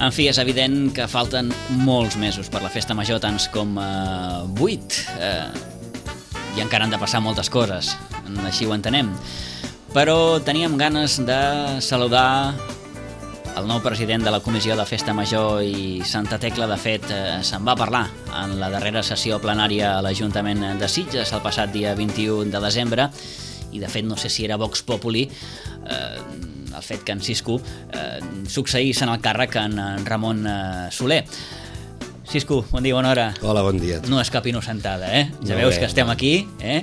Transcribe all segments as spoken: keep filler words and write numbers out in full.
En fi, és evident que falten molts mesos per la festa major, tants com eh, vuit, eh, i encara han de passar moltes coses, així ho entenem. Però teníem ganes de saludar el nou president de la Comissió de Festa Major i Santa Tecla. De fet, eh, se'n va parlar en la darrera sessió plenària a l'Ajuntament de Sitges el passat dia vint-i-u de desembre, i de fet no sé si era Vox Populi eh, el fet que en Cisco eh, succeís en el càrrec en, en Ramon eh, Soler. Cisco, bon dia, bona hora. Hola, bon dia. No és cap innocentada, eh? Ja no veus bé, que estem no. aquí, eh?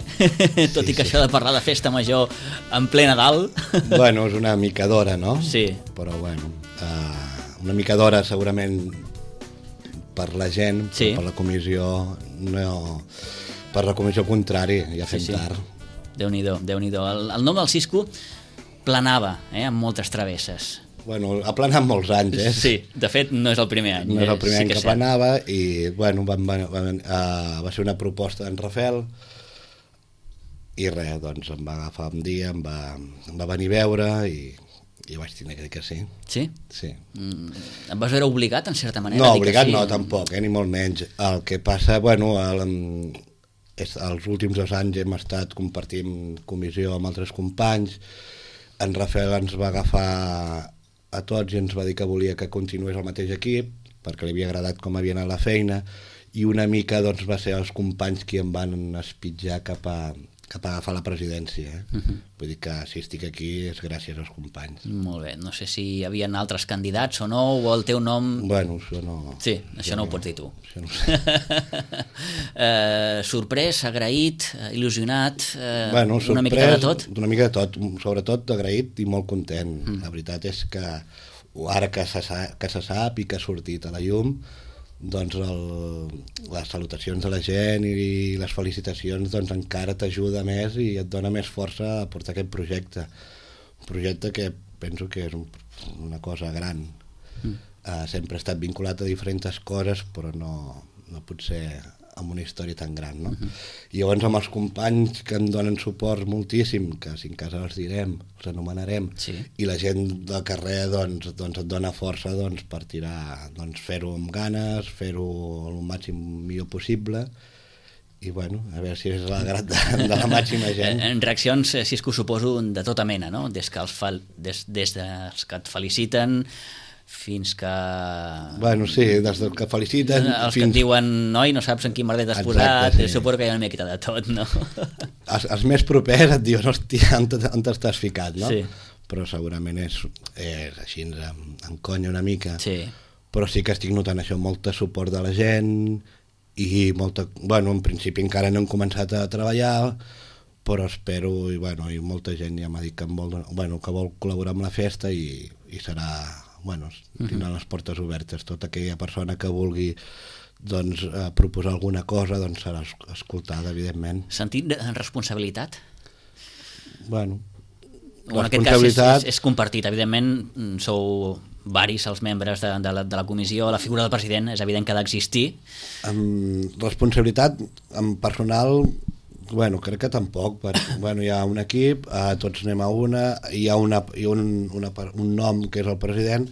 Tot sí, i que sí. això de parlar de festa major en ple Nadal... Bueno, és una mica d'hora, no? Sí. Però bueno, uh, una mica d'hora segurament per la gent, sí. però per la comissió no... Per la comissió contrari, ja fem sí, sí. tard. Déu-n'hi-do, Déu-n'hi-do. El, el nom del Cisco planava, eh? Amb moltes travesses. Bueno, ha planat molts anys, eh? Sí, de fet no és el primer any. No és el primer sí any que, que, que planava i, bueno, van, van, van, uh, va ser una proposta d'en Rafael i res, doncs em va agafar un dia, em va, em va venir a veure i, i vaig tenir que dir que sí. Sí? Sí. Mm, em vas veure obligat, en certa manera? No, a dir obligat que sí? no, tampoc, eh, ni molt menys. El que passa, bueno, el, és, els últims dos anys hem estat compartint comissió amb altres companys. En Rafael ens va agafar a tots i ens va dir que volia que continués el mateix equip perquè li havia agradat com havia anat la feina, i una mica doncs, va ser els companys qui em van espitjar cap a, cap a agafar la presidència. Eh? Uh-huh. Vull dir que si estic aquí és gràcies als companys. Molt bé, no sé si hi havia altres candidats o no, o el teu nom... Bueno, això no... Sí, això no, no ho pots dir tu. Això no ho sé. eh, sorprès, agraït, il·lusionat, eh, bueno, sorprès, una mica de tot? Una mica de tot, sobretot agraït i molt content. Mm. La veritat és que ara que se, que se sap i que ha sortit a la llum, doncs el, les salutacions de la gent i les felicitacions doncs encara t'ajuda més i et dona més força a portar aquest projecte. Un projecte que penso que és un, una cosa gran. Mm. Uh, sempre he estat vinculat a diferents coses, però no, no pot ser amb una història tan gran, no? Uh-huh. I llavors amb els companys que em donen suport moltíssim, que si en casa els direm, els anomenarem, sí. I la gent del carrer doncs, doncs et dona força doncs, per tirar, doncs, fer-ho amb ganes, fer-ho el màxim millor possible, i bueno, a veure si és l'agrat de, de la màxima gent. En reaccions, Cisco, suposo de tota mena, no? Des que els, fa, des, des dels que et feliciten fins que... Bueno, sí, des que feliciten... Els fins... que et diuen, noi, no saps en quin merder t'has posat, sí. Suposo que hi ha una miqueta de tot, no? Els, els més propers et diuen, hòstia, on t'estàs ficat, no? Sí. Però segurament és, és així, em, em conya una mica. Sí. Però sí que estic notant això, molt suport de la gent i molta... Bueno, en principi encara no hem començat a treballar, però espero, i bueno, i molta gent ja m'ha dit que, vol, bueno, que vol col·laborar amb la festa i, i serà... Bueno, tindran uh-huh. les portes obertes. Tota aquella persona que vulgui doncs, eh, proposar alguna cosa doncs serà escoltada, evidentment. Sentit de responsabilitat? Bueno, o en aquest cas és, és, és compartit. Evidentment, sou varis els membres de, de, la, de la comissió. La figura del president és evident que ha d'existir. Amb responsabilitat, amb personal... Bueno, crec que tampoc, perquè bueno, hi ha un equip, eh, tots anem a una, hi ha, una, hi ha un, una, un nom que és el president,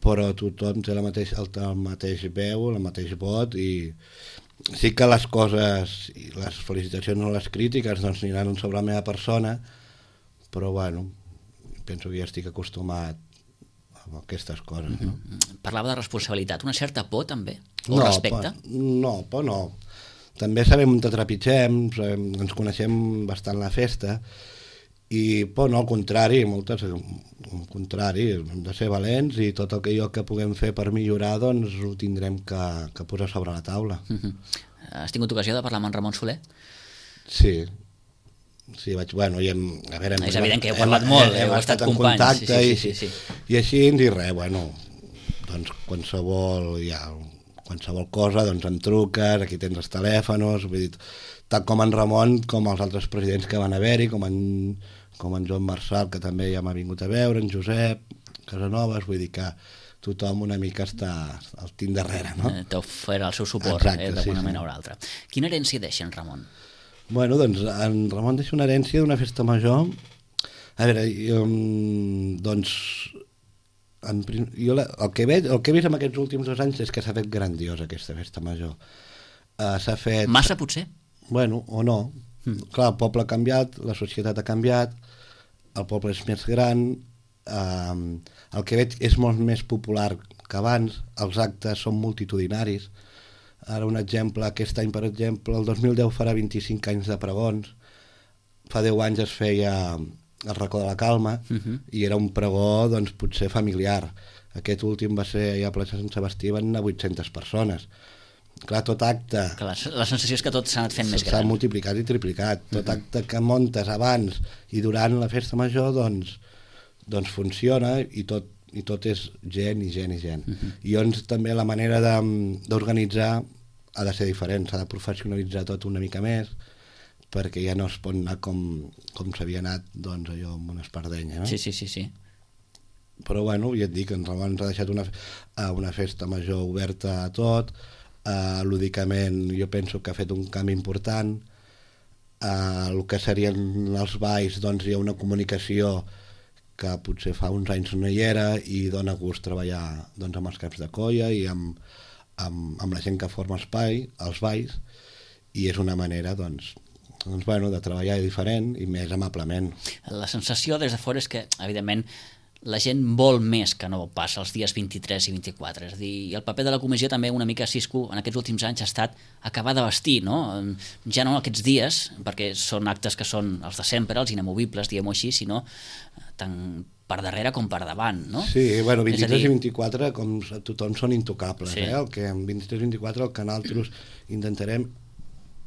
però tothom té la mateix, el, el mateix veu, el mateix vot, i sí que les coses, i les felicitacions o les crítiques doncs aniran sobre la meva persona, però bueno, penso que ja estic acostumat a aquestes coses. No? Parlava de responsabilitat, una certa por també? O no, respecte? Por, no, por no. També sabem on te trepitgem, sabem, ens coneixem bastant la festa, i por no, al contrari, moltes, al contrari, hem de ser valents i tot el que jo que puguem fer per millorar doncs ho tindrem que, que posar sobre la taula. Uh-huh. Has tingut ocasió de parlar amb en Ramon Soler? Sí, sí, vaig, bueno, i hem, a veure... Hem, és evident que heu parlat hem, molt, hem, heu estat, estat companys. En contacte sí, sí, sí, sí, sí. I, i així, i res, bueno, doncs qualsevol, ja... qualsevol cosa, doncs em truques, aquí tens els telèfons, vull dir, tant com en Ramon com els altres presidents que van haver-hi, com en, com en Joan Marçal, que també ja m'ha vingut a veure, en Josep Casanovas, vull dir que tothom una mica està al tint darrere, no? Eh, T'ha ofert el seu suport, exacte, eh, d'alguna sí, manera sí. o altra. Quina herència deixa en Ramon? Bueno, doncs en Ramon deixa una herència d'una festa major. A veure, jo, doncs en, jo la, el, que veig, el que he vist en aquests últims dos anys és que s'ha fet grandiosa aquesta festa major. Uh, s'ha fet... Massa, potser? Bueno, o no. Mm. Clar, el poble ha canviat, la societat ha canviat, el poble és més gran, uh, el que veig és molt més popular que abans, els actes són multitudinaris. Ara un exemple, aquest any, per exemple, el dos mil deu farà vint-i-cinc anys de pregons, fa deu anys es feia el racó de la Calma, uh-huh. i era un pregó, doncs, potser familiar. Aquest últim va ser allà a plaça Sant Sebastià, van anar vuit-centes persones. Clar, tot acte... Que la, la sensació és que tot s'ha anat fent més gran. S'ha multiplicat i triplicat. Tot uh-huh. acte que muntes abans i durant la festa major, doncs, doncs funciona i tot, i tot és gent i gent i gent. Uh-huh. I llavors també la manera d'organitzar ha de ser diferent, s'ha de professionalitzar tot una mica més, perquè ja no es pot anar com, com s'havia anat, doncs, allò amb una espardenya, no? Sí, sí, sí, sí. Però, bueno, ja et dic, ens ha deixat una, una festa major oberta a tot, uh, lúdicament jo penso que ha fet un canvi important, uh, el que serien els balls, doncs hi ha una comunicació que potser fa uns anys no hi era i dona gust treballar, doncs, amb els caps de colla i amb, amb, amb la gent que forma espai, els balls, i és una manera, doncs, doncs, bueno, de treballar diferent i més amablement. La sensació des de fora és que, evidentment, la gent vol més que no passa els dies vint-i-tres i vint-i-quatre. És a dir, i el paper de la comissió també una mica, Cisco, en aquests últims anys ha estat acabar de vestir, no? Ja no aquests dies, perquè són actes que són els de sempre, els inamovibles, diguem-ho així, sinó tant per darrere com per davant, no? Sí, bueno, vint-i-tres dir... i vint-i-quatre, com tothom, són intocables, sí. eh? El que en vint-i-tres i vint-i-quatre el que nosaltres intentarem...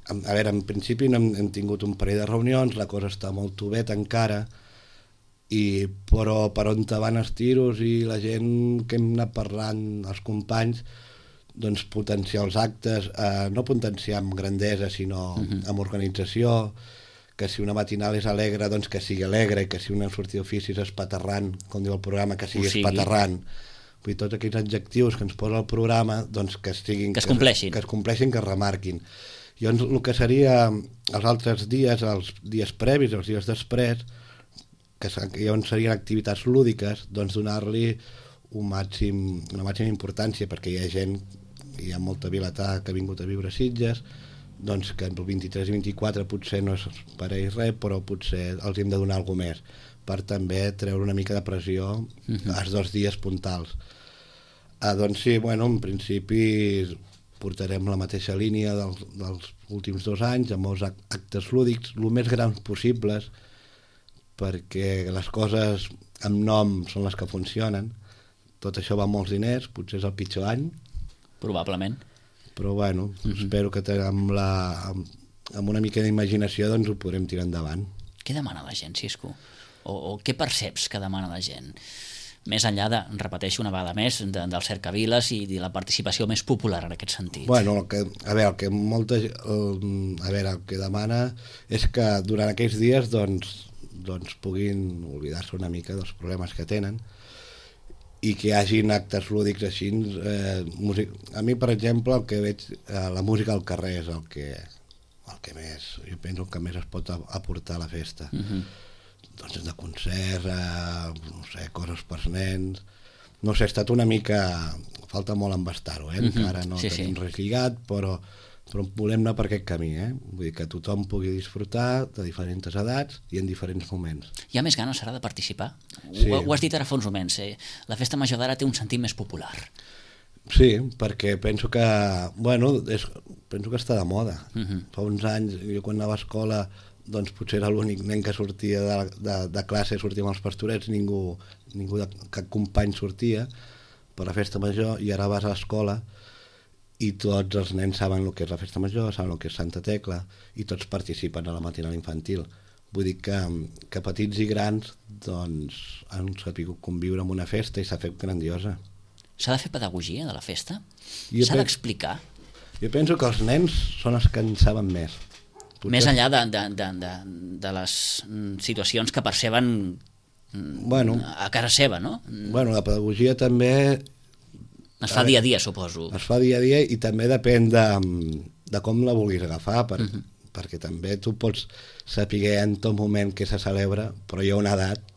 A veure, en principi hem, hem tingut un parell de reunions, la cosa està molt tovet encara, i, però per on te van els tiros i la gent que hem anat parlant, els companys, doncs potenciar els actes, eh, no potenciar amb grandesa, sinó uh-huh. amb organització, que si una matinal és alegre, doncs que sigui alegre, i que si una sortida d'oficis és paterrant, com diu el programa, que sigui, sigui. espaterrant. Vull dir, tots aquells adjectius que ens posa el programa, doncs que estiguin... Que es compleixin. Que, que es compleixin, que es remarquin. Llavors, el que seria els altres dies, els dies previs, els dies després, que llavors serien activitats lúdiques, doncs donar-li un màxim, una màxima importància, perquè hi ha gent, hi ha molta vilatà que ha vingut a viure a Sitges, doncs que el vint-i-tres i vint-i-quatre potser no és per a ells res, però potser els hem de donar alguna més, per també treure una mica de pressió uh-huh. als dos dies puntals. Ah, doncs sí, bueno, en principi... portarem la mateixa línia dels, dels últims dos anys, amb molts actes lúdics, el més grans possibles, perquè les coses amb nom són les que funcionen. Tot això va amb molts diners, potser és el pitjor any. Probablement. Però bueno, mm-hmm. espero que amb, la, amb, amb una mica d'imaginació doncs ho podrem tirar endavant. Què demana la gent, Cisco? O, o què perceps que demana la gent? Més enllà de, repeteixo una vegada més, de, del cercaviles i de la participació més popular en aquest sentit. Bueno, el que, a veure, el que molta, el, a veure, el que demana és que durant aquells dies doncs, doncs puguin oblidar-se una mica dels problemes que tenen i que hi hagin actes lúdics així. Eh, músic... A mi, per exemple, el que veig, eh, la música al carrer és el que, el que més, jo penso que més es pot aportar a la festa. Uh-huh. Doncs de concerts, eh, no sé, coses per nens... No sé, ha estat una mica... Falta molt embastar-ho, eh? Encara no sí, tenim sí. res lligat, però, però volem anar per aquest camí, eh? Vull dir que tothom pugui disfrutar de diferents edats i en diferents moments. Hi ha més ganes, ara, de participar? Sí. Ho, ho has dit ara fa uns moments, eh? La festa major d'ara té un sentit més popular. Sí, perquè penso que... Bueno, és, penso que està de moda. Uh-huh. Fa uns anys, jo quan anava a escola... doncs potser era l'únic nen que sortia de, de, de classe, sortia amb els pastorets, ningú, ningú de cap company sortia per la festa major, i ara vas a l'escola i tots els nens saben el que és la festa major, saben el que és Santa Tecla, i tots participen a la matinal infantil. Vull dir que, que petits i grans doncs, han sapigut conviure amb una festa i s'ha fet grandiosa. S'ha de fer pedagogia de la festa? S'ha pe... d'explicar? Jo penso que els nens són els que en saben més. Potser... Més enllà de, de, de, de, de les situacions que perceben bueno, a casa seva, no? Bueno, la pedagogia també... Es fa dia a dia, suposo. Es fa dia a dia i també depèn de, de com la vulguis agafar, per, uh-huh. perquè també tu pots saber en tot moment què se celebra, però hi ha una edat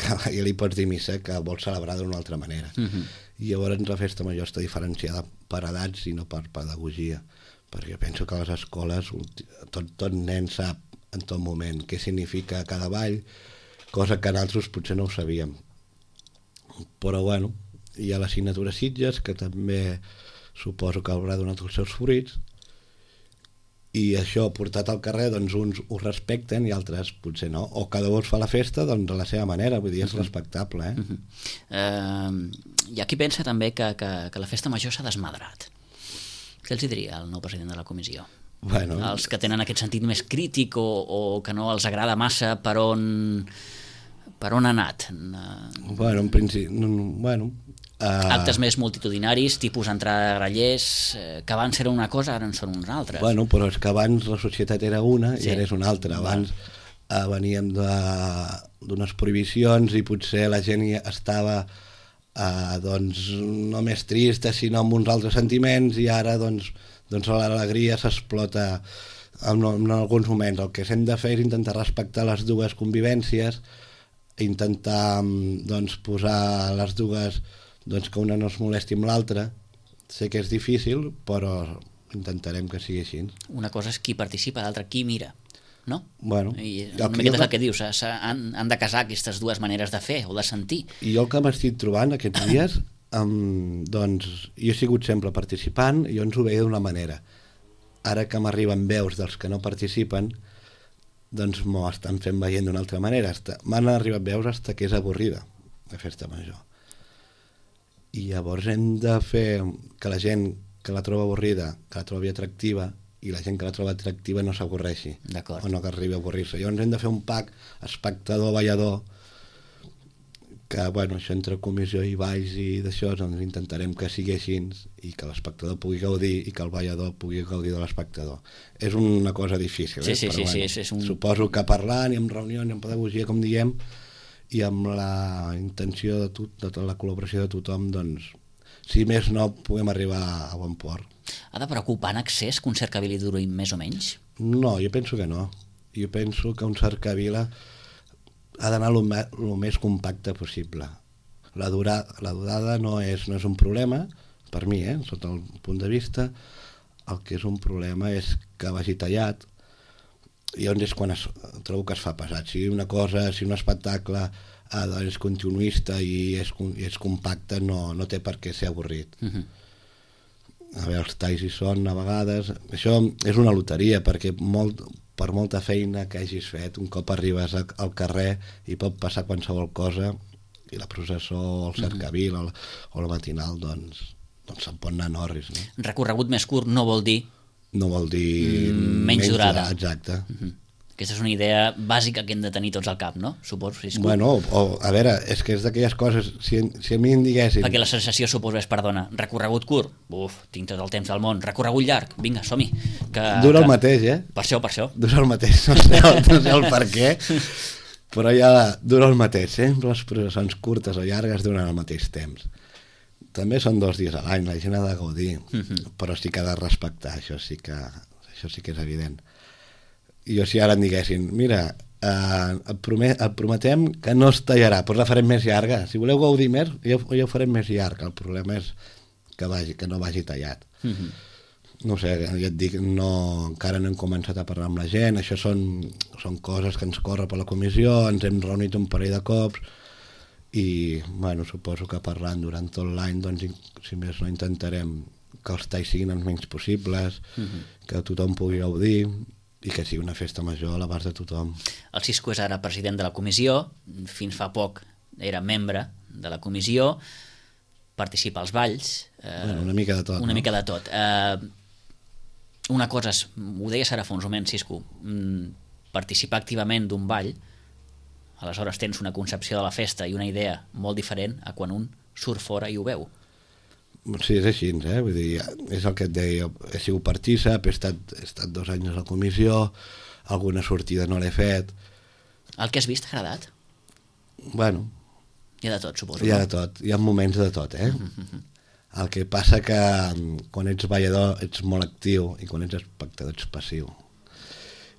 que ja li pots dir missa que vols celebrar d'una altra manera. Uh-huh. I llavors la festa major està diferenciada per edats i no per pedagogia, perquè penso que a les escoles tot, tot nen sap en tot moment què significa cada ball, cosa que nosaltres potser no ho sabíem. Però bueno, hi ha l'assignatura Sitges, que també suposo que haurà donat els seus fruits, i això portat al carrer, doncs uns ho respecten i altres potser no, o cada un fa la festa doncs a la seva manera, vull dir, és respectable. Eh? Uh-huh. uh, hi ha qui pensa també que, que, que la festa major s'ha desmadrat. Què els diria el nou president de la comissió? Bueno, els que tenen aquest sentit més crític o, o que no els agrada massa per on, per on ha anat? Uh... Bueno, en principi... Bueno, Uh, actes més multitudinaris, tipus entrada de grallers, eh, que abans era una cosa, ara en són uns altres. Bueno, però és que abans la societat era una sí. i ara és una altra. Abans uh, veníem d'unes prohibicions i potser la gent estava uh, doncs, no més trista, sinó amb uns altres sentiments, i ara doncs, doncs l'alegria s'explota en, en alguns moments. El que hem de fer és intentar respectar les dues convivències, intentar doncs, posar les dues... doncs que una no es molesti amb l'altra. Sé que és difícil, però intentarem que sigui així. Una cosa és qui participa, l'altra qui mira, no? Bueno, I una miqueta és el que dius, han, han de casar aquestes dues maneres de fer o de sentir. I jo el que m'estic trobant aquests dies, um, doncs jo he sigut sempre participant i jo ens ho veia d'una manera. Ara que m'arriben veus dels que no participen, doncs m'ho estan fent veient d'una altra manera. M'han arribat veus fins que és avorrida la festa major. I llavors hem de fer que la gent que la troba avorrida, que la trobi atractiva, i la gent que la troba atractiva no s'avorreixi, o no que arribi a avorrir-se. Llavors hem de fer un pack espectador-ballador, que bueno, això entre comissió i balls i d'això, doncs intentarem que sigui així i que l'espectador pugui gaudir i que el ballador pugui gaudir de l'espectador. És una cosa difícil, sí, eh? sí, Però sí, bueno, sí, és un... suposo que parlant i amb reunions i amb pedagogia, com diem, i amb la intenció de, tot, de tota la col·laboració de tothom, doncs, si més no, puguem arribar a bon port. Ha de preocupar en excés que un cercavila duri més o menys? No, jo penso que no. Jo penso que un cercavila ha d'anar el més compacte possible. La, dura, la durada no és, no és un problema, per mi, eh, sota el punt de vista. El que és un problema és que vagi tallat, i on és quan es, trobo que es fa pesat. Si una cosa, si un espectacle eh, doncs és continuista i és, i és compacte, no, no té per què ser avorrit. Uh-huh. A veure, els talls hi són a vegades. Això és una loteria, perquè molt, per molta feina que hagis fet, un cop arribes a, al carrer i pot passar qualsevol cosa, i la processó, el cercavil uh-huh. o, o la matinal, doncs, doncs se'n pot anar en orris. No? Recorregut més curt no vol dir no vol dir mm, menys, menys durada. Exacte. Uh-huh. Aquesta és una idea bàsica que hem de tenir tots al cap, no? Suposo. Si bueno, o, a veure, és que és d'aquelles coses, si, si a mi em diguessin... Perquè la sensació, suposo, és, perdona, recorregut curt, uf, tinc tot el temps del món, recorregut llarg, vinga, som-hi. Que, Dura que... el mateix, eh? Per això, per això. Dura el mateix, no sé, no sé el per què, però ja dura el mateix, sempre les processons curtes o llargues duren al mateix temps. També són dos dies a l'any, la gent ha de gaudir, uh-huh. però sí que ha de respectar, això sí que, això sí que és evident. I jo si ara em diguessin, mira, eh, et, promet, et prometem que no es tallarà, però la farem més llarga. Si voleu gaudir més, ja, ja ho farem més llarg. El problema és que, vagi, que no vagi tallat. Uh-huh. No sé, ja et dic, no, encara no hem començat a parlar amb la gent, això són, són coses que ens corre per la comissió, ens hem reunit un parell de cops, i bueno, suposo que parlant durant tot l'any, doncs, si més no, intentarem que els talls siguin els menys possibles, uh-huh. que tothom pugui gaudir i que sigui una festa major a l'abast de tothom. El Cisco és ara president de la comissió, fins fa poc era membre de la comissió, participa als balls... Eh, bueno, una mica de tot. Una no? mica de tot. Eh, una cosa, és, ho deies ara fa uns moments, Cisco, participar activament d'un ball, aleshores tens una concepció de la festa i una idea molt diferent a quan un surt fora i ho veu. Sí, és així, eh? Vull dir, és el que et deia, he sigut partícip, he estat, he estat dos anys a la comissió, alguna sortida no l'he fet. El que has vist t'ha agradat? Bueno. Hi ha de tot, suposo. Hi ha de tot, hi ha moments de tot, eh? Mm-hmm. El que passa que quan ets ballador ets molt actiu i quan ets espectador ets passiu.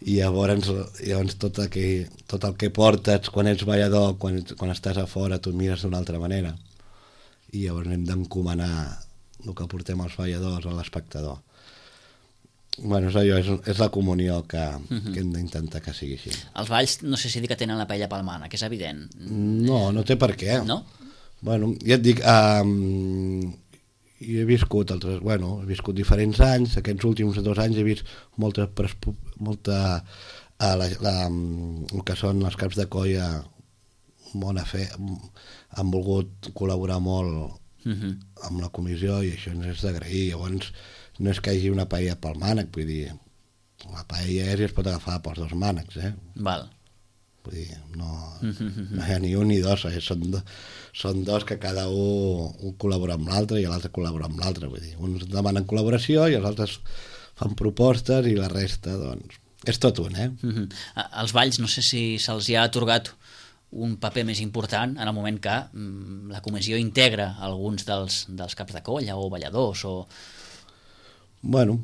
i llavors, llavors tot, el que, tot el que portes quan ets ballador, quan, quan estàs a fora tu mires d'una altra manera, i llavors hem d'encomanar el que portem els balladors a l'espectador. Bueno, és allò, és, és la comunió que, uh-huh. que hem d'intentar que sigui així. Els balls no sé si dir que tenen la paella pel mànec, és evident. No, no té per què. No? Bueno, ja et dic, um, jo he viscut altres, bueno, he viscut diferents anys, aquests últims dos anys he vist molta, molta uh, la, la, el que són els caps de colla bona fe, han volgut col·laborar molt uh-huh. amb la comissió i això ens és d'agrair. Llavors no és que hi hagi una paella pel mànec, vull dir, la paella és i es pot agafar pels dos mànecs, eh? Val. Vull dir, no, no hi ha ni un ni dos, eh? són, do, són dos que cada un, un col·labora amb l'altre i l'altre col·labora amb l'altre, vull dir, uns demanen col·laboració i els altres fan propostes i la resta, doncs, és tot un, eh? Uh-huh. Els balls, no sé si se'ls hi ha atorgat un paper més important en el moment que mm, la comissió integra alguns dels, dels caps de colla o balladors o... Bueno,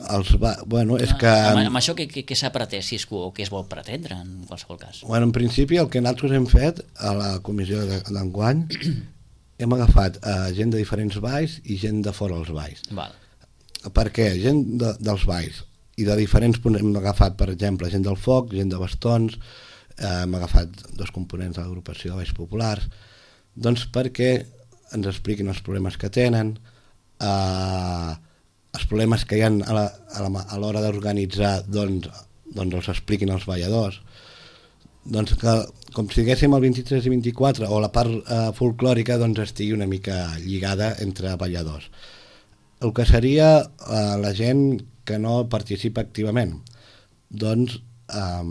els va... bueno, és que... Amb, amb això què, què, què s'ha pretès, si és, o què es vol pretendre, en qualsevol cas? Bueno, en principi el que nosaltres hem fet a la comissió d'enguany hem agafat uh, gent de diferents balls i gent de fora dels balls. Val. Per què? Gent de, dels balls i de diferents punts. Hem agafat, per exemple, gent del foc, gent de bastons, eh, hem agafat dos components de l'agrupació de balls populars, doncs perquè ens expliquin els problemes que tenen, eh, els problemes que hi ha a, la, a, la, a l'hora d'organitzar, doncs, doncs els expliquin els balladors, doncs que com si diguéssim el vint-i-tres i vint-i-quatre o la part eh, folclòrica doncs estigui una mica lligada entre balladors. El que seria eh, la gent que no participa activament, doncs, eh,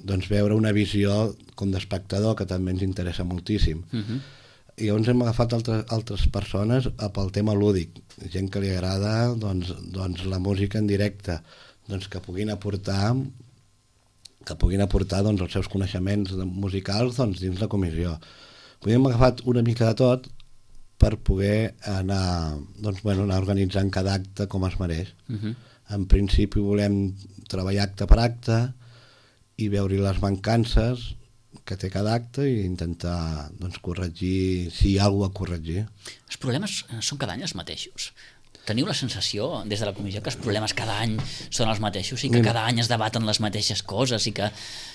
doncs veure una visió com d'espectador que també ens interessa moltíssim. Uh-huh. I llavors hem agafat altres, altres persones pel tema lúdic, gent que li agrada doncs, doncs la música en directe, doncs que puguin aportar que puguin aportar doncs, els seus coneixements musicals doncs, dins la comissió. Hem agafat una mica de tot per poder anar, doncs, bueno, anar organitzant cada acte com es mereix. Uh-huh. En principi volem treballar acte per acte i veure les mancances que té cada acte i intentar doncs, corregir, si hi ha alguna cosa a corregir. Els problemes són cada any els mateixos. Teniu la sensació, des de la comissió, que els problemes cada any són els mateixos i que cada any es debaten les mateixes coses i que,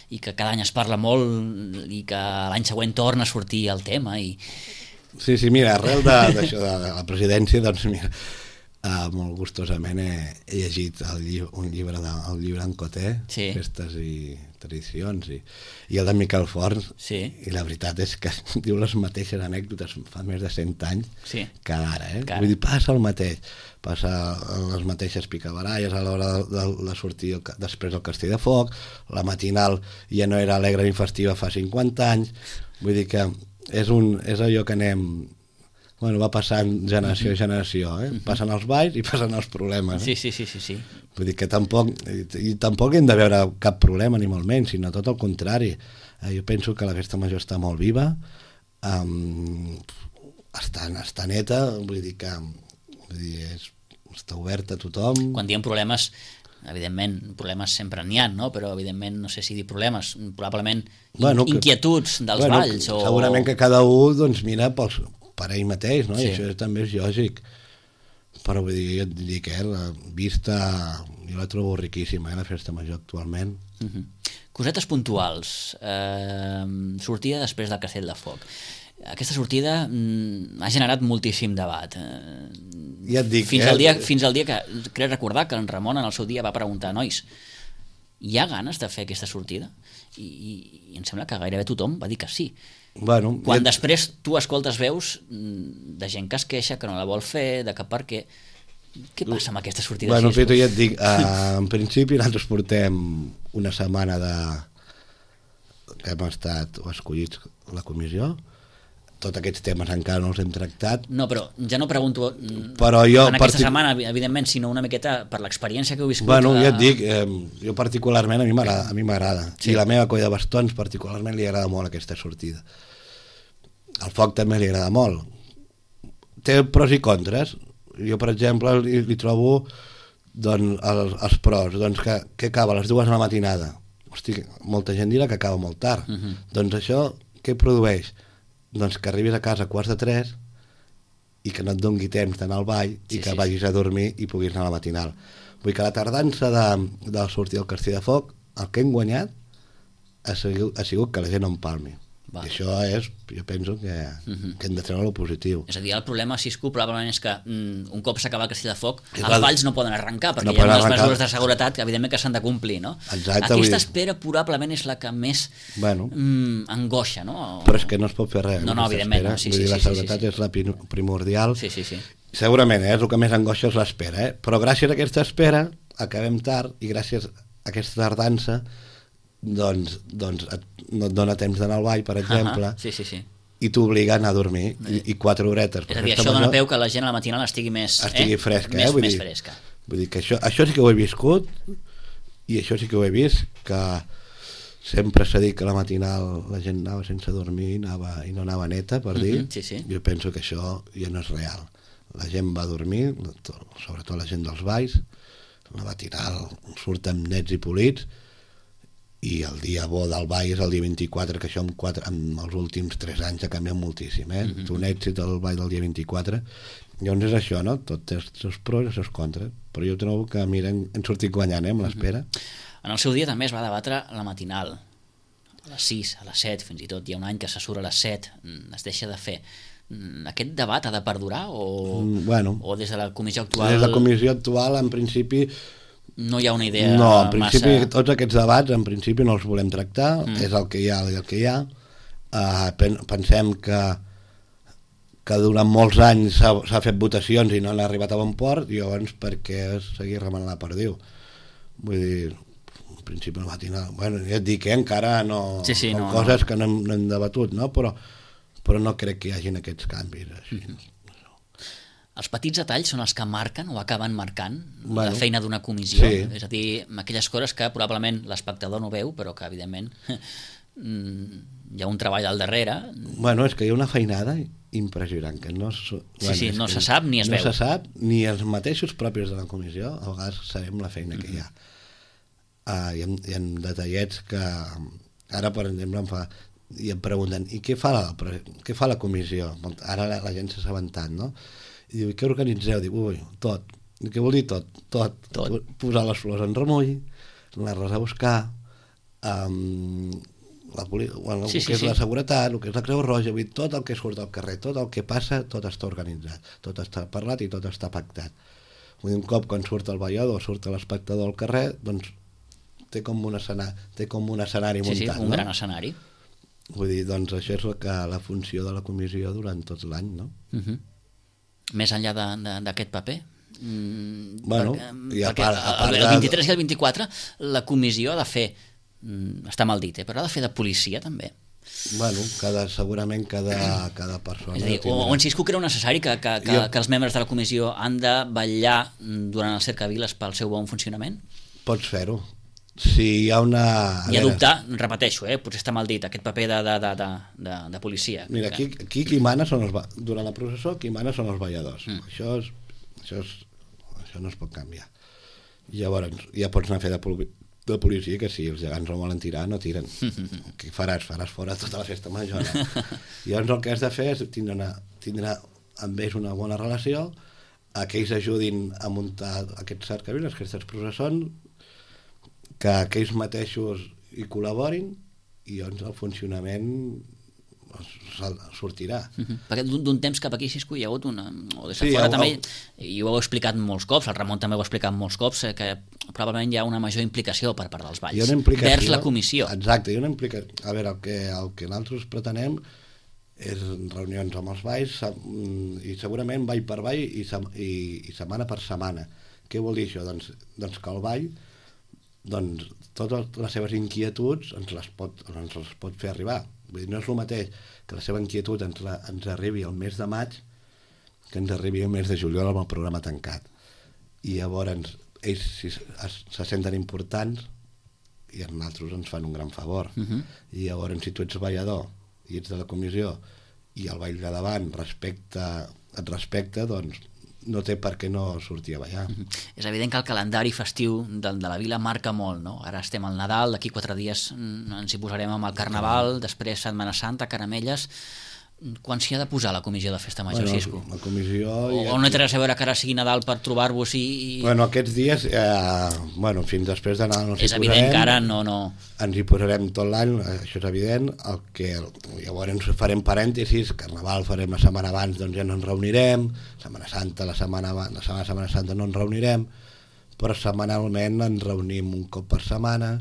i que cada any es parla molt i que l'any següent torna a sortir el tema? I... Sí, sí, mira, arrel d'això de, de la presidència, doncs mira, uh, molt gustosament he, he llegit el lli un llibre de, el llibre d'en Coté, sí. Festes i tradicions, i, i el de Miquel Forns, sí. I la veritat és que diu les mateixes anècdotes fa més de cent anys sí. que ara, eh? Vull dir, passa el mateix, passa les mateixes picabaralles a l'hora de, de, de sortir el, després del Castell de Foc, la matinal ja no era alegre ni festiva fa cinquanta anys, vull dir que és, un, és allò que anem... Bueno, va passant generació a generació, eh? Passen els balls i passen els problemes. Sí, Eh? sí, sí, sí, sí. Vull dir que tampoc, i, i tampoc hem de veure cap problema, ni molt menys, sinó tot el contrari. Eh, jo penso que la festa major està molt viva, um, està, està neta, vull dir que vull dir, és, està oberta a tothom. Quan diem problemes, evidentment, problemes sempre n'hi ha, no? Però evidentment, no sé si dir problemes, probablement bueno, que, inquietuds dels bueno, balls. O... Segurament que cada un doncs, mira pels... per ell mateix, no? Sí. I això també és lògic. Però vull dir, jo et dic, eh, la vista, jo la trobo riquíssima, eh, la festa major actualment. Uh-huh. Cosetes puntuals. Eh, sortida després del Castell de Foc. Aquesta sortida mm, ha generat moltíssim debat. Eh, ja et dic, fins, eh? al dia, fins al dia que, crec recordar que en Ramon en el seu dia va preguntar, nois, hi ha ganes de fer aquesta sortida? I, i, i em sembla que gairebé tothom va dir que sí. Bueno, quan ja... després tu escoltes veus de gent que es queixa, que no la vol fer, de que per què... Què passa amb aquesta sortida? Bueno, així? Bueno, ja et dic, uh, en principi nosaltres portem una setmana de... que hem estat escollits la comissió, tots aquests temes encara no els hem tractat. No, però ja no pregunto però jo en aquesta partic... setmana, evidentment, sinó una miqueta per l'experiència que heu viscut. Bueno, a... ja et dic, eh, jo particularment a mi m'agrada, a mi m'agrada. Sí. I la meva colla de bastons particularment li agrada molt aquesta sortida. Al foc també li agrada molt. Té pros i contres. Jo, per exemple, li, li trobo Doncs els, els pros, doncs que, que acaba a les dues de la matinada. Hosti, molta gent dirà que acaba molt tard. Uh -huh. Doncs això què produeix? Doncs que arribis a casa a quarts de tres i que no et dongui temps d'anar al ball sí, i que sí, vagis sí. a dormir i puguis anar a la matinal. Vull que la tardança de, de sortir del Castell de Foc, el que hem guanyat ha sigut, ha sigut que la gent no empalmi. Va. I això és, jo penso que, uh -huh. que hem de treure-ho positiu. És a dir, el problema, Cisco, probablement és que mm, un cop s'acaba el Castell de Foc, els val... valls no poden arrencar, perquè no hi ha unes arrencar. mesures de seguretat que evidentment que s'han de complir, no? Exacte, aquesta espera probablement és la que més bueno, mm, angoixa, no? Però és que no es pot fer res. No, no, evidentment. No, sí, Vull sí, dir, sí, la seguretat sí, sí, sí. és la primordial. Sí, sí, sí. Segurament, eh, és el que més angoixa és l'espera, eh? Però gràcies a aquesta espera acabem tard i gràcies a aquesta tardança doncs, doncs et, no et dona temps d'anar al ball, per exemple, uh -huh. sí, sí, sí. i t'obliga a anar a dormir, i, i quatre horetes. És a dir, això major, dona peu que la gent a la matinal estigui més, estigui eh? fresca, més, eh? Vull més dir, fresca. Vull dir que això, això sí que ho he viscut, i això sí que ho he vist, que sempre s'ha dit que a la matinal la gent anava sense dormir anava, i no anava neta, per dir. Uh-huh, sí, sí. Jo penso que això ja no és real. La gent va dormir, sobretot la gent dels balls, la matinal surten nets i polits, i el dia bo del ball és el dia vint-i-quatre, que això en, quatre, en els últims tres anys ha canviat moltíssim, eh? Mm-hmm. Un èxit el ball del dia vint-i-quatre. Llavors és això, no? Tot té els seus pros i els seus contres, però jo trobo que, mira, hem, hem sortit guanyant, eh, amb l'espera. Mm-hmm. En el seu dia també es va debatre la matinal, a les sis, a les set, fins i tot hi ha un any que se surt a les set, es deixa de fer. Aquest debat ha de perdurar o, mm, bueno, o des de la comissió actual... Des de la comissió actual, en principi... No hi ha una idea no, en principi massa... tots aquests debats en principi no els volem tractar, mm. és el que hi ha i el que hi ha. Uh, pensem que que durant molts anys s'ha fet votacions i no han arribat a bon port, i llavors per què seguir remenant la perdiu? Vull dir, en principi no va tenir... Bueno, ja et dic que eh, encara no... Sí, sí, no coses no. que no hem, no hem debatut, no? Però, però no crec que hi hagin aquests canvis així. Mm-hmm. Els petits detalls són els que marquen o acaben marcant bueno, la feina d'una comissió, sí. És a dir, aquelles coses que probablement l'espectador no veu, però que evidentment hi ha un treball al darrere. Bueno, és que hi ha una feinada impressionant, que no, sí, bueno, sí, no que se sap ni es no veu. No se sap, ni els mateixos propis de la comissió, a vegades sabem la feina mm-hmm. que hi ha. Uh, hi, ha hi ha detallets que ara, per exemple, em fa, i em pregunten, i què fa la, què fa la comissió? Ara la, la gent s'ha assabentat, no? I diu, què organitzeu? Dic, ui, tot. I què vol dir tot? Tot. tot. Posar les flors en remull, anar-les a buscar, um, la, bueno, sí, el sí, que és sí. la seguretat, el que és la Creu Roja, vull dir, tot el que surt al carrer, tot el que passa, tot està organitzat, tot està parlat i tot està pactat. Vull dir, un cop quan surt el ballador, surt l'espectador al carrer, doncs té com un escenari, té com un escenari sí, muntat, sí, un no? gran escenari. Vull dir, doncs això és la, que, la funció de la comissió durant tot l'any, no? Uh-huh. Més enllà d'aquest paper? Mm, bueno, perquè, perquè part, a part el, el vint-i-tres i el vint-i-quatre la comissió ha de fer, mm, està mal dit, eh, però ha de fer de policia també. Bueno, cada, segurament cada, cada persona... És a dir, o, o en Cisco creu necessari que, que, que, jo... que els membres de la comissió han de vetllar durant el cercaviles pel seu bon funcionament? Pots fer-ho. Si hi ha una... I adoptar, repeteixo, eh, potser està mal dit, aquest paper de, de, de, de, de, de policia. Mira, aquí, aquí qui mana són els... Durant la processó, qui mana són els balladors. Mm. Això, és, això, és, això no es pot canviar. I llavors ja pots anar a fer de, poli, de policia, que si els gegants no volen tirar, no tiren. Què faràs? Faràs fora tota la festa major. No? I llavors el que has de fer és tindre, una, tindre amb ells una bona relació, a que ells ajudin a muntar aquests cercaviles, aquestes processons, que aquells mateixos hi col·laborin i llavors el funcionament sortirà. Uh-huh. Perquè d'un temps cap aquí, Cisco, hi ha hagut una... O des de sí, fora també, i ho heu explicat molts cops, el Ramon també ho ha explicat molts cops, que probablement hi ha una major implicació per part dels balls, vers la comissió. Exacte, hi ha una implicació. A veure, el que, el que nosaltres pretenem és reunions amb els balls i segurament ball per ball i, i, i setmana per setmana. Què vol dir això? Doncs, doncs que el ball doncs totes les seves inquietuds ens les pot, ens les pot fer arribar. Vull dir, no és el mateix que la seva inquietud ens, la, ens arribi al mes de maig que ens arribi al mes de juliol amb el programa tancat. I llavors ells si, es, se senten importants i a nosaltres ens fan un gran favor. Uh-huh. I llavors si tu ets ballador i ets de la comissió i el ball de davant respecta, et respecta, doncs no té per què no sortir a ballar. Mm-hmm. És evident que el calendari festiu de, de la vila marca molt, no? Ara estem al Nadal, d'aquí quatre dies ens hi posarem amb el Carnaval, després Setmana Santa, Caramelles. Quan s'hi ha de posar la comissió de Festa Major, bueno, Xisco? La comissió... O, ja... o no té res a veure que ara sigui Nadal per trobar-vos i... Bueno, aquests dies, eh, bueno, fins després de Nadal no s'hi és evident posarem, que ara no, no... Ens hi posarem tot l'any, això és evident. El que, llavors farem parèntesis, Carnaval farem la setmana abans, doncs ja no ens reunirem, Setmana Santa, la setmana, la setmana, setmana Santa no ens reunirem, però setmanalment ens reunim un cop per setmana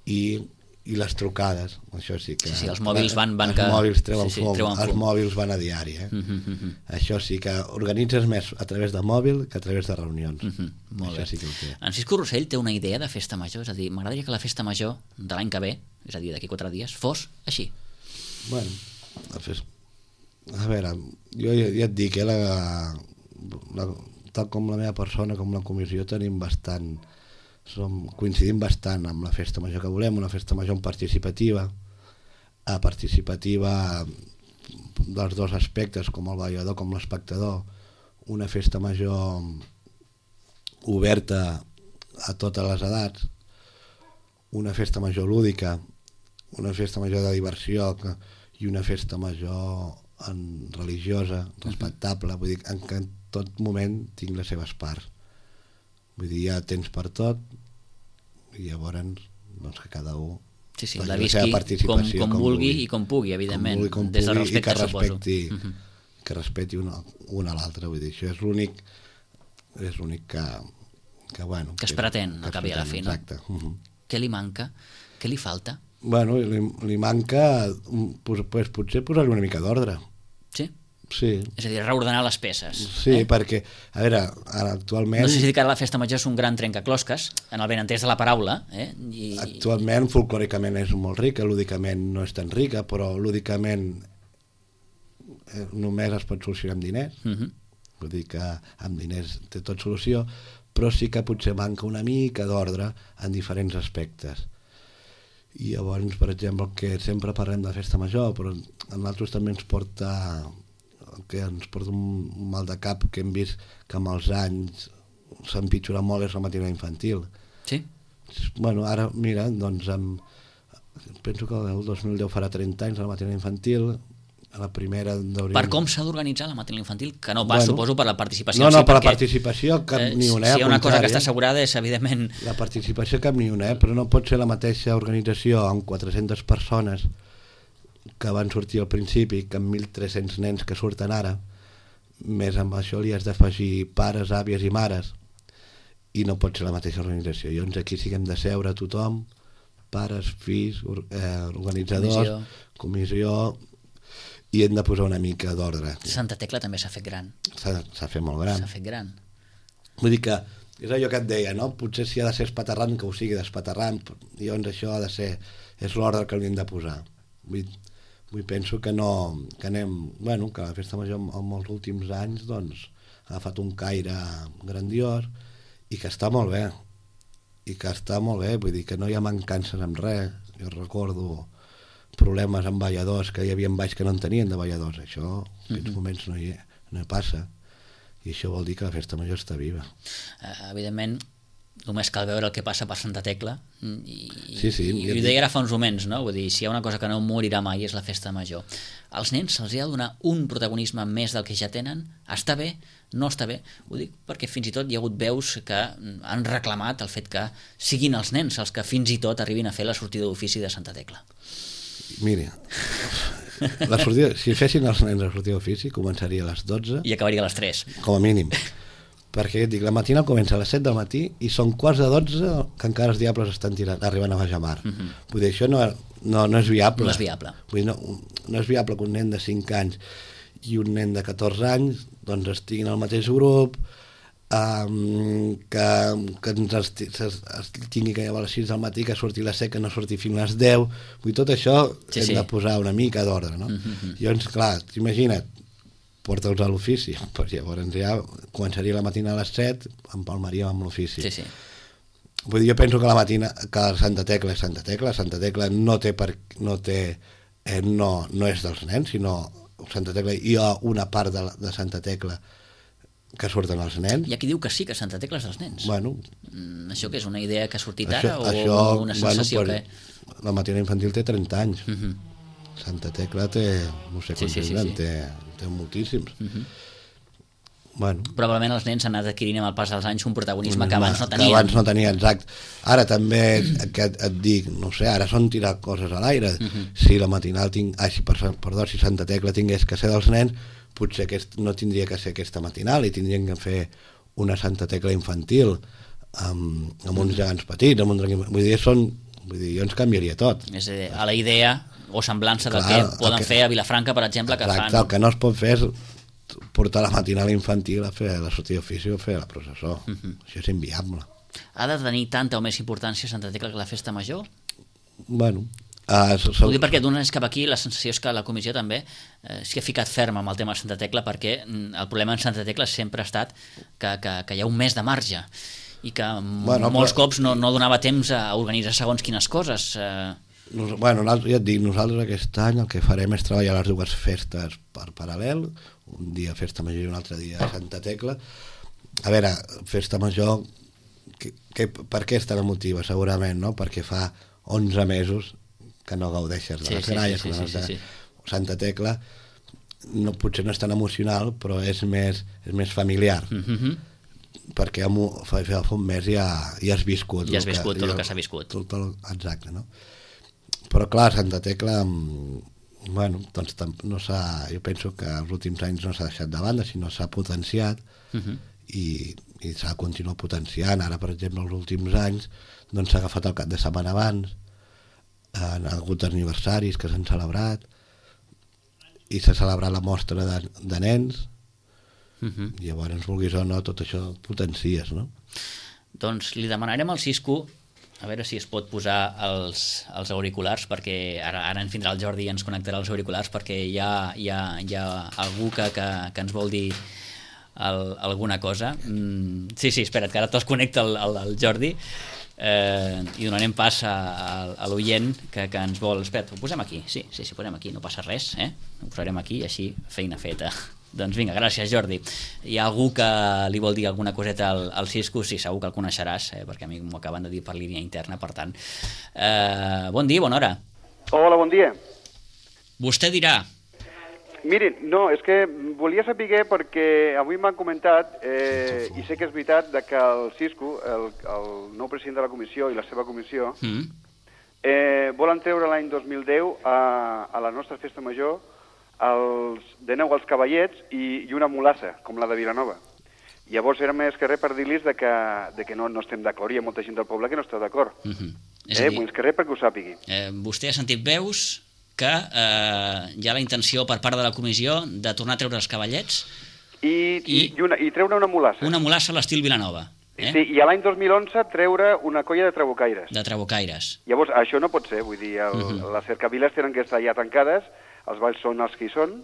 i... i les trucades, això sí que... Sí, sí, els mòbils van... van els que... mòbils treuen sí, sí, fum, treuen els fum. mòbils van a diari, eh? Uh-huh, uh-huh. Això sí que organitzes més a través de mòbil que a través de reunions. Uh-huh, molt això bé. sí que ho té. En Xisco Rossell té una idea de Festa Major, és a dir, m'agradaria que la Festa Major de l'any que ve, és a dir, d'aquí quatre dies, fos així. Bueno, a, fes... a veure, jo ja, ja et dic, eh, la, la, tal com la meva persona, com la comissió, tenim bastant... Som, coincidim bastant amb la festa major que volem, una festa major participativa, a participativa dels dos aspectes, com el ballador com l'espectador, una festa major oberta a totes les edats, una festa major lúdica, una festa major de diversió que, i una festa major en, religiosa, respectable, vull dir, en que en tot moment tinc les seves parts. Vull dir, hi ha temps per tot i llavors doncs, que cada un sí, sí, la visqui com, com, com vulgui i com pugui, evidentment, com vulgui, com des del respecte, respecte, que respecti, suposo. Que respecti una, una a l'altra, vull dir, això és l'únic és l'únic que, que, bueno, que es pretén, que acabi a la fi, no? Exacte. Uh-huh. Què li manca? Què li falta? Bueno, li, li manca pues, pues, potser posar-li una mica d'ordre. Sí? Sí. És a dir, reordenar les peces. Sí, eh? perquè, a veure, ara actualment... No sé si que ara la festa major és un gran trencaclosques, en el benentès de la paraula. Eh? I... Actualment, folclòricament és molt rica, lúdicament no és tan rica, però lúdicament eh, només es pot solucionar amb diners. Uh-huh. Vull dir que amb diners té tot solució, però sí que potser manca una mica d'ordre en diferents aspectes. I llavors, per exemple, el que sempre parlem de festa major, però a nosaltres també ens porta... que ens porta un mal de cap que hem vist que amb els anys s'ha empitjorat molt és la matinada infantil. Sí? Bueno, ara, mira, doncs amb, penso que el dos mil deu farà trenta anys la matinada infantil, a la primera hauríem... Per com s'ha d'organitzar la matinada infantil? Que no pas, bueno, suposo, per la participació. No, no, sí, per perquè, la participació cap eh, ni una. Si hi ha una cosa que està assegurada és, evidentment... La participació cap ni una, eh? Però no pot ser la mateixa organització amb quatre-centes persones que van sortir al principi, que amb mil tres-cents nens que surten ara, més amb això li has d'afegir pares, àvies i mares, i no pot ser la mateixa organització. Llavors aquí sí que hem de seure tothom, pares, fills, eh, organitzadors, comissió. comissió, i hem de posar una mica d'ordre. Santa Tecla també s'ha fet gran. S'ha fet molt gran. S'ha fet gran. Vull dir que és allò que et deia, no? Potser si ha de ser espaterrant, que ho sigui d'espaterrant, llavors això ha de ser, és l'ordre que li hem de posar. Vull Vull penso que no, que anem, bueno, que la festa major en els últims anys doncs ha agafat un caire grandiós i que està molt bé, i que està molt bé, vull dir que no hi ha mancances amb res. Jo recordo problemes amb balladors, que hi havia balls que no en tenien de balladors, això en aquests moments no hi, no hi passa, i això vol dir que la festa major està viva. Uh, evidentment, només cal veure el que passa per Santa Tecla i, sí, sí, i, i ho deia ara fa uns moments, no? Vull dir, si hi ha una cosa que no morirà mai és la festa major. Als nens se'ls ha de donar un protagonisme més del que ja tenen? Està bé? No està bé? Ho dic perquè fins i tot hi ha hagut veus que han reclamat el fet que siguin els nens els que fins i tot arribin a fer la sortida d'ofici de Santa Tecla. Mira, la sortida, si fessin els nens la sortida d'ofici començaria a les dotze i acabaria a les tres, com a mínim, perquè dic, la matina comença a les set del matí i són quarts de dotze que encara els diables estan tirant, arribant a baix mar. Uh-huh. Vull dir, això no, no, no és viable. No és viable. Vull dir, no, no és viable que un nen de cinc anys i un nen de catorze anys doncs estiguin al mateix grup, um, que, que ens esti, es, es tingui que llevar a les sis del matí, que surti a les set, que no surti fins a les deu. Vull dir, tot això sí, hem sí. de posar una mica d'ordre, no? Uh-huh. Llavors, clar, imagina't, porta'ls a l'ofici, pues llavors ja començaria la matina a les set, empalmaríem amb l'ofici. Sí, sí. Vull dir, jo penso que la matina, que Santa Tecla és Santa Tecla, Santa Tecla no té, per, no, té eh, no, no és dels nens, sinó Santa Tecla, hi ha una part de, de Santa Tecla que surten els nens. Hi ha qui diu que sí, que Santa Tecla és dels nens. Bueno, mm, això que és una idea que ha sortit això, ara o això, una sensació bueno, que... La matina infantil té trenta anys. Uh -huh. Santa Tecla té, no sé quants sí, sí, sí, anys, sí. té, té moltíssims. Uh -huh. Bueno, Probablement els nens han anat adquirint amb el pas dels anys un protagonisme que abans no que tenien. abans no tenia, exacte. Ara també que et, et dic, no sé, ara són tirar coses a l'aire. Uh -huh. Si la matinal tinc, ah, si, perdó, si Santa Tecla tingués que ser dels nens, potser aquest, no tindria que ser aquesta matinal i tindrien que fer una Santa Tecla infantil amb, amb uns gegants petits, amb un drac... Vull dir, són, vull dir, jo ens canviaria tot. És a dir, a la idea o semblança del Clar, que poden que, fer a Vilafranca, per exemple, que exacte, fan... el que no es pot fer és portar la matinal infantil a fer la sortida d'ofici o fer la processó. Uh -huh. Això és inviable. Ha de tenir tanta o més importància Santa Tecla que la festa major? Bueno... Uh, Ho dic perquè d'un anys cap aquí la sensació és que la comissió també eh, s'hi ha ficat ferma amb el tema de Santa Tecla, perquè el problema en Santa Tecla sempre ha estat que, que, que hi ha un mes de marge i que bueno, molts però... cops no, no donava temps a organitzar segons quines coses. Eh... Nos, bueno, ja et dic, nosaltres aquest any el que farem és treballar les dues festes per paral·lel, un dia Festa Major i un altre dia Santa Tecla. A veure, Festa Major, que, que, per què és tan emotiva? Segurament, no? Perquè fa onze mesos que no gaudeixes de sí, les gralles, sí, sí, sí, sí, sí. Santa Tecla no, potser no és tan emocional, però és més, és més familiar. Mm-hmm. Perquè fa, fa un mes ja, ja has viscut. Ja has viscut que, tot el que s'ha viscut. Tot, tot, exacte, no? Però clar, Santa Tecla, bueno, doncs no s'ha, jo penso que els últims anys no s'ha deixat de banda, sinó s'ha potenciat uh-huh. i, i s'ha continuat potenciant. Ara, per exemple, els últims anys doncs s'ha agafat el cap de setmana abans, han hagut aniversaris que s'han celebrat i s'ha celebrat la mostra de, de nens uh-huh. i llavors, vulguis o no, tot això potencies, no? Doncs li demanarem al Cisco a veure si es pot posar els, els auriculars, perquè ara, ara ens vindrà el Jordi i ens connectarà els auriculars, perquè hi ha, hi ha, hi ha algú que, que, que ens vol dir el, alguna cosa. Mm, sí, sí, espera't, que ara te'ls connecta el, el, el Jordi. Eh, i donarem pas a, a, a l'oient que, que ens vol... Espera't, ho posem aquí, sí, sí, sí, ho posem aquí, no passa res, eh? Ho posarem aquí i així feina feta. Doncs vinga, gràcies Jordi. Hi ha algú que li vol dir alguna coseta al, al Cisco? Sí, segur que el coneixeràs, eh? Perquè a mi m'ho acaben de dir per línia interna, per tant. Eh, bon dia, bona hora. Hola, bon dia. Vostè dirà. Mirin, no, és que volia saber perquè avui m'han comentat, eh, i sé que és veritat, de que el Cisco, el, el nou president de la comissió i la seva comissió, mm. eh, volen treure l'any dos mil deu a, a la nostra festa major els, de nou els cavallets i, i una mulassa, com la de Vilanova. Llavors era més que res per dir-los de que, de que no, no estem d'acord, hi ha molta gent del poble que no està d'acord. Mm-hmm. Eh, dir, més que res perquè ho sàpigui. Eh, vostè ha sentit veus que eh, hi ha la intenció per part de la comissió de tornar a treure els cavallets i, i, i, una, i treure una mulassa. Una mulassa a l'estil Vilanova. Eh? Sí, i a l'any dos mil onze treure una colla de trabucaires. De trabucaires. Llavors, això no pot ser, vull dir, el, uh-huh. les cercaviles tenen que estar ja tancades, els balls són els que hi són,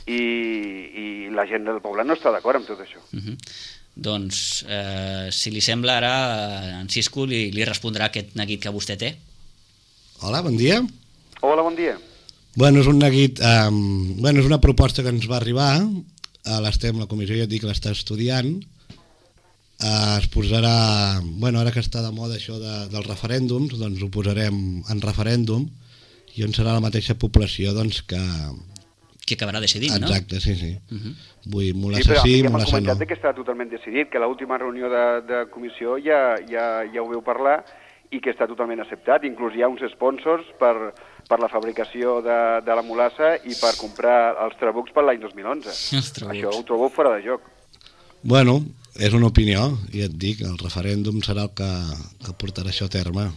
i, i la gent del poble no està d'acord amb tot això. Uh-huh. Doncs, eh, si li sembla, ara en Cisco li, li respondrà aquest neguit que vostè té. Hola, bon dia. Hola, bon dia. Bueno, és un neguit, um, bueno, és una proposta que ens va arribar, a l'Estem, la comissió ja et dic que l'està estudiant, uh, es posarà, bueno, ara que està de moda això de, dels referèndums, doncs ho posarem en referèndum, i on serà la mateixa població, doncs, que... que acabarà decidint, no? Exacte, sí, sí. Uh-huh. Vull mulassa sí, sí, mulassa no. M'han comentat que està totalment decidit, que l'última reunió de, de comissió ja, ja, ja ho veu parlar, i que està totalment acceptat. Inclús hi ha uns sponsors per, per la fabricació de, de la mulassa i per comprar els trabucs per l'any dos mil onze. Això ho trobo fora de joc. Bueno, és una opinió, i et dic, el referèndum serà el que, que portarà això a terme.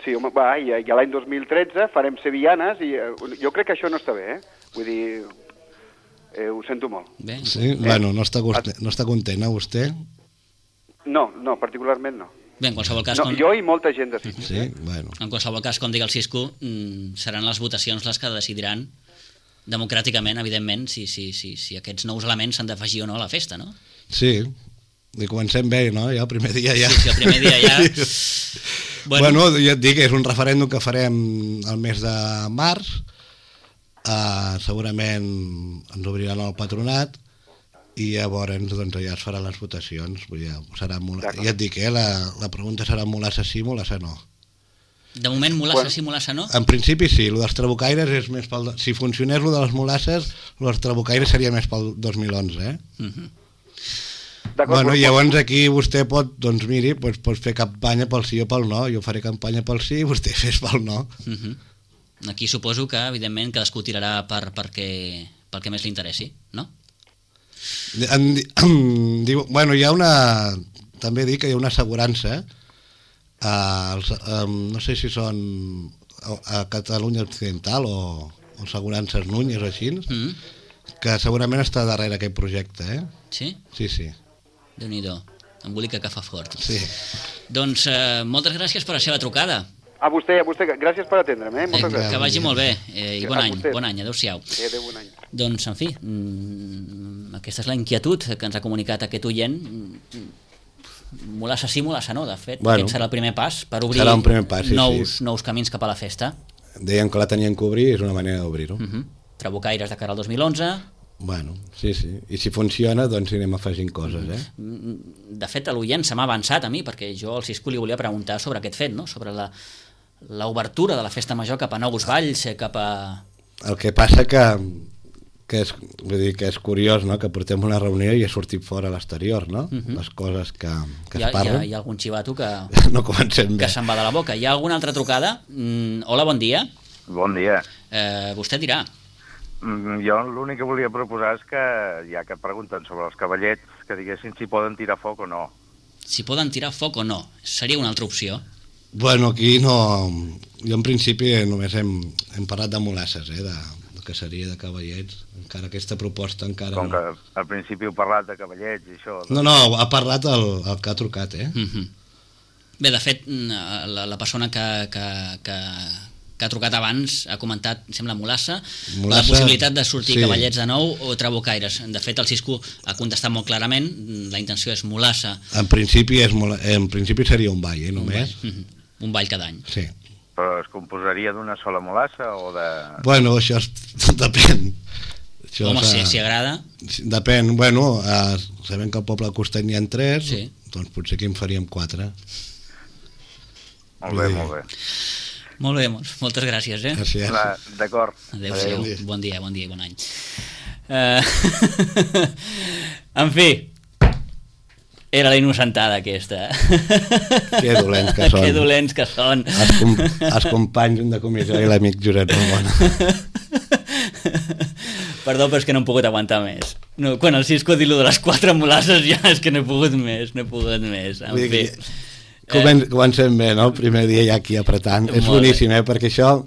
Sí, home, va, i, i l'any dos mil tretze farem sevillanes, i eh, jo crec que això no està bé, eh? Vull dir, eh, ho sento molt. Bé. Sí, eh? Bueno, no està, content, no està content, eh, vostè? No, no, particularment no. Bé, en qualsevol cas... No, com... Jo i molta gent de Cisco. Sí, bueno. En qualsevol cas, com dic el Cisco, seran les votacions les que decidiran democràticament, evidentment, si, si, si, si aquests nous elements s'han d'afegir o no a la festa, no? Sí, i comencem bé, no? Ja el primer dia ja... Sí, sí, el primer dia ja... bueno, bueno, ja et dic, és un referèndum que farem el mes de març, uh, segurament ens obriran el patronat, i llavors doncs, ja es faran les votacions. Vull dir, serà molt... Ja et dic, eh, la, la pregunta serà molassa sí, molassa no. De moment, molassa sí, molassa no? En principi sí, el dels trabucaires és més pel... Si funcionés el de les molasses, el dels trabucaires seria més pel dos mil onze, eh? Uh-huh. Bueno, llavors aquí vostè pot, doncs miri, doncs, pot fer campanya pel sí o pel no. Jo faré campanya pel sí i vostè fes pel no. Uh-huh. Aquí suposo que, evidentment, cadascú tirarà per, perquè, pel que més li interessi, no? En, en, diu, bueno, hi ha una... També dic que hi ha una assegurança, Uh, els, um, no sé si són a, a Catalunya Occidental o, o assegurances Núñez o així, mm-hmm. que segurament està darrere aquest projecte, eh? Sí? Sí, sí. Déu-n'hi-do, embolica que fa fort. Sí. Doncs uh, moltes gràcies per la seva trucada. A vostè, a vostè, gràcies per atendre'm, eh? Moltes eh, gràcies. Que vagi molt bé, eh, i bon any, bon any, adeu-siau. Sí, adeu, bon any. Doncs, en fi, mm, aquesta és la inquietud que ens ha comunicat aquest oient. Molassa sí, molassa no, de fet. Bueno, aquest serà el primer pas per obrir primer pas, sí, nous, sí. nous camins cap a la festa. Deien que la tenien que obrir, és una manera d'obrir-ho. Uh-huh. Trabucaires de cara al dos mil onze. Bueno, sí, sí. I si funciona, doncs anem afegint coses, eh? De fet, l'oient se m'ha avançat a mi, perquè jo al Cisco li volia preguntar sobre aquest fet, no? Sobre la, l'obertura de la festa major cap a nous valls, cap a... El que passa que... que és, vull dir, que és curiós, no?, que portem una reunió i he sortit fora a l'exterior, no? Uh-huh. Les coses que, que hi ha, es parlen. Hi ha, hi ha algun xivato que, no comencem bé. Que se'n va de la boca. Hi ha alguna altra trucada? Mm, hola, bon dia. Bon dia. Eh, vostè dirà. Mm, jo l'únic que volia proposar és que, ja que pregunten sobre els cavallets, que diguessin si poden tirar foc o no. Si poden tirar foc o no. Seria una altra opció. Bueno, aquí no... Jo en principi només hem, hem parlat de molasses, eh, de... que seria de cavallets, encara aquesta proposta encara Com no. que al principi heu parlat de cavallets i això... No, no, ha parlat el, el que ha trucat, eh? Mm-hmm. Bé, de fet, la, la persona que, que, que, que ha trucat abans ha comentat, sembla, molassa, molassa la possibilitat de sortir sí. Cavallets de nou o trabucaires. De fet, el Cisco ha contestat molt clarament, la intenció és molassa. En principi, és mola... en principi seria un ball, eh, només. Un ball, mm-hmm. un ball cada any. Sí. Però es composaria d'una sola molassa o de... Bueno, això es... depèn. Això Home, si, si agrada... Depèn, bueno, eh, sabem que al poble de Costany n'hi ha tres, sí. Doncs potser que en faríem quatre. Molt bé, sí. molt bé. Molt bé, moltes gràcies, eh? Gràcies. D'acord. Adéu-siau, Adéu. Bon dia, bon dia i bon any. Uh... en fi... Era la innocentada aquesta. Que dolents que són. Que dolents que són. Els, com, els companys de comissió i l'amic Josep Ramon. Perdó, però és que no hem pogut aguantar més. No, quan el Cisco ha dit lo de les quatre molasses ja és que no he pogut més, no he pogut més. En Vull fi. Dir, comen, comencem bé, no? El primer dia ja aquí apretant. És boníssim, eh? Perquè això,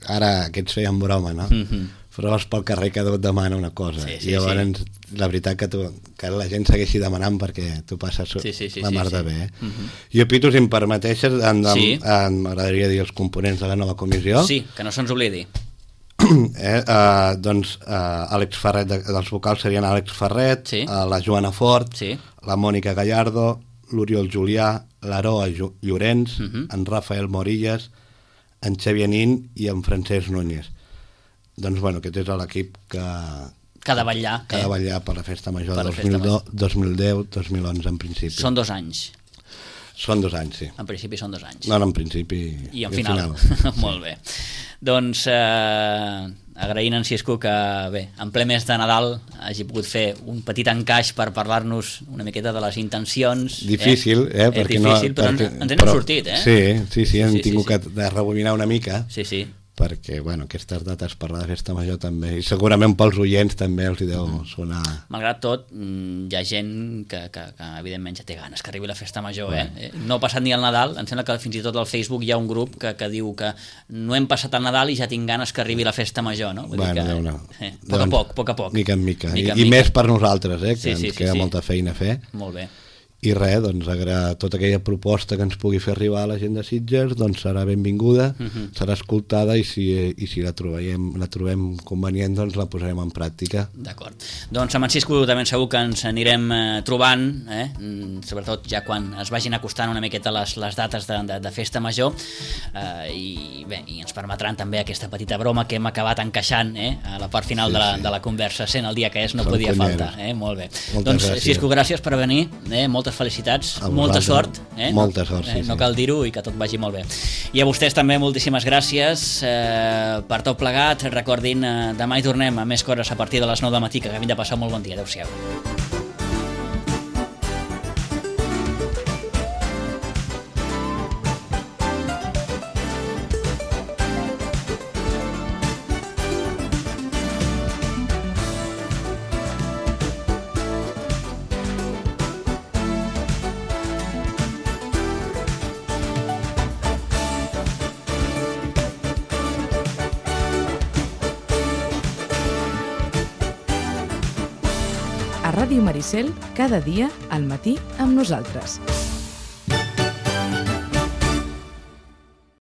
ara aquests feien broma, no? Mm-hmm. Però vas pel carrer cada un demana una cosa. Sí, sí, I llavors, sí. La veritat que, tu, que la gent segueixi demanant perquè tu passes sí, sí, sí, la mar sí, de bé. Eh? Sí. Uh-huh. Jo, Pitu, si em permeteixes, sí. m'agradaria dir els components de la nova comissió. Sí, que no se'ns oblidi. eh, uh, doncs uh, Àlex Ferret, de, dels vocals serien Àlex Ferret, sí. uh, la Joana Fort, sí. La Mònica Gallardo, l'Oriol Julià, l'Aroa Llorenç, uh-huh. en Rafael Morillas, en Xavier Nin i en Francesc Núñez. Doncs, bueno, aquest és l'equip que... Que ha de vetllar. Que ha de vetllar per la festa major de dos mil deu dos mil onze, en principi. Són dos anys. Són dos anys, sí. En principi són dos anys. No, no, en principi i en final. final. Molt bé. Doncs, eh, agraint en Cisco que, bé, en ple mes de Nadal hagi pogut fer un petit encaix per parlar-nos una miqueta de les intencions. Difícil, eh? eh perquè difícil, no, però perquè, ens hem sortit, eh? Sí, sí, sí, hem sí, tingut sí, sí. que de rebobinar una mica. Sí, sí. Perquè, bueno, aquestes dates per la festa major també, i segurament pels oients també els hi deu sonar... Malgrat tot, hi ha gent que, que, que evidentment ja té ganes que arribi la festa major, bueno. eh? No ha passat ni el Nadal, em sembla que fins i tot al Facebook hi ha un grup que, que diu que no hem passat el Nadal i ja tinc ganes que arribi la festa major, no? Vull bueno, dir que, no. eh, poc a poc, poc a poc. Mica en mica, mica, I, en i mica. més per nosaltres, eh? Que sí, sí, ens queda sí, sí. molta feina a fer. Molt bé. I res, doncs, agra- tota aquella proposta que ens pugui fer arribar a la gent de Sitges doncs serà benvinguda, uh -huh. serà escoltada i si, i si la, trobem, la trobem convenient doncs la posarem en pràctica. D'acord. Doncs amb en Cisco també segur que ens anirem eh, trobant, eh? sobretot ja quan es vagin acostant una miqueta les, les dates de, de, de festa major, eh, i bé, i ens permetran també aquesta petita broma que hem acabat encaixant eh? a la part final sí, de, la, sí. de la conversa, sent el dia que és no Són podia conyeros. faltar. Eh? Molt bé. Moltes doncs gràcies. Cisco, gràcies per venir, eh? moltes felicitats, molta sort, eh? molta sort sí, eh? no sí. cal dir-ho i que tot vagi molt bé. I a vostès també moltíssimes gràcies eh, per tot plegat. Recordin, eh, demà hi tornem a més coses a partir de les nou del matí, que acabin de passar un molt bon dia. Adéu-siau. A Ràdio Maricel, cada dia al matí amb nosaltres.